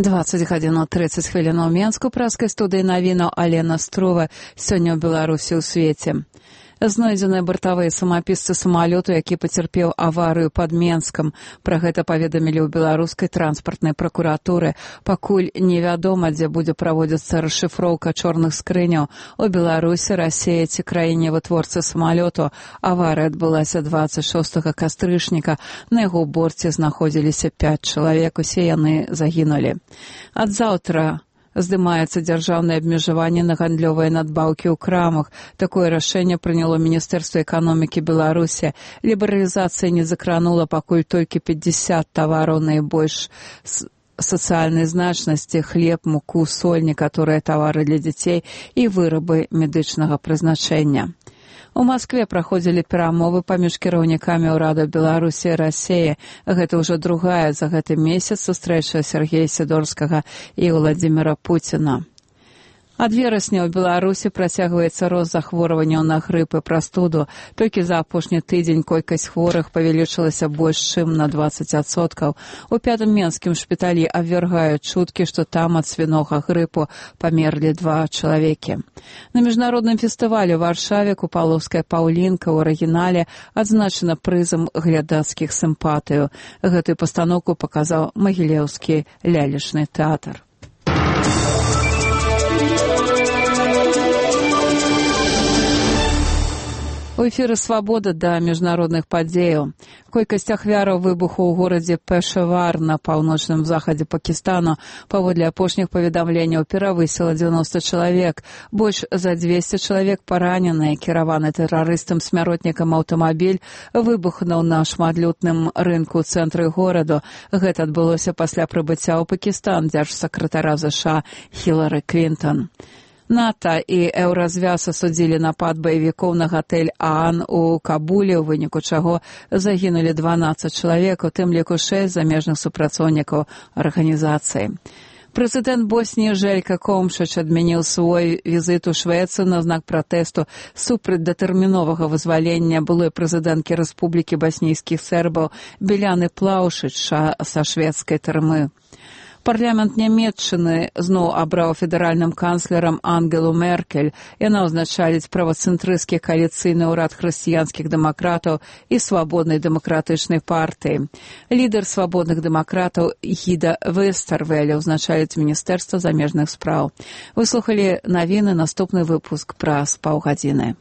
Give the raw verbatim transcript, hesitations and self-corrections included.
дваццаць гадзін трыццаць хвілін у Менску, праскай студыі навінаў Алена Струва. Сёння ў Беларусі ў свеце. Знойдзеныя бартавыя самапісцы самалёту, які пацярпеў аварыю пад Менскам. Пра гэта паведамілі ў беларускай транспартнай пракуратуры. Пакуль невядома, дзе будзе праводзіцца расшыфроўка чорных скрыняў. У Беларусі, Расіі ці краіне-вытворцы самалёту. Аварыя адбылася дваццаць шостага кастрычніка. На яго борце знаходзіліся пяць чалавек. Усе яны загінулі. Ад заўтра здымаецца дзяржаўнае абмежаванне на гандлёвыя надбаўкі ў крамах. Такое рашэнне прыняло Міністэрства эканомікі Беларусі. Лібералізацыя не закранула пакуль толькі пятьдесят тавараў найбольш сацыяльнай значнасці: хлеб, муку, соль, некаторыя тавары для дзяцей і вырабы медычнага прызначэння. У Маскве праходзілі перамовы паміж кіраўнікамі ўрадаў Беларусі і Расіі. Гэта ўжо другая за гэты месяц сустрэча Сергея Сідорскага і Владзіміра Пуціна. Ад верасня ў Беларусі працягваецца рост захворванняў на грып і прастуду. Толькі за апошні тыдзень колькасць хворых павялічылася больш чым на дваццаць адсоткаў. У пятым менскім шпіталі абвяргаюць чуткі, што там ад свінога грыпу памерлі два чалавекі. На міжнародным фестывалі ў Варшаве купалаўская паўлінка ў арыгінале адзначана прызам глядацкіх сімпатыяў. Гэтую пастаноўку паказаў Магілеўскі лялечны тэатр. У эфіры «Свабода» да міжнародных падзеяў. Колькасць ахвяраў выбуху ў горадзе Пешавар на паўночным захадзе Пакістану паводле апошніх паведамленняў перавысіла дзевяноста чалавек. Больш за дзвесце чалавек параненыя. Кіраваны тэрарыстам-смяротнікам аўтамабіль выбухнуў на шматлюдным рынку ў цэнтры гораду. Гэта адбылося пасля прыбыцця ў Пакістан дзяржсакратара ЗША Хілары Клінтон. НАТО і Еўразвяз асудзілі напад баевікоў на гатэль Аан у Кабуле, у выніку чаго загінулі дванаццаць чалавек, у тым ліку шэсць замежных супрацоўнікаў арганізацыі. Прэзідэнт Босніі Жэлька Комшыч адмяніў свой візіт у Швецыю на знак пратэсту супраць датэрміновага вызвалення былой прэзідэнткі Рэспублікі баснійскіх сербаў Біляны Плаўшыч са шведскай турмы. Парламент Нямецчыны зноў абраў федэральным канцлерам Ангелу Меркель. Яна ўзначаліць правацэнтрысцкі кааліцыйны ўрад хрысціянскіх дэмакратаў і свабоднай дэмакратычнай партыі. Лідар свабодных дэмакратаў Гіда Вестэрвеля ўзначаліць Міністэрства замежных спраў. Выслухалі навіны, наступны выпуск праз паўгадзіны.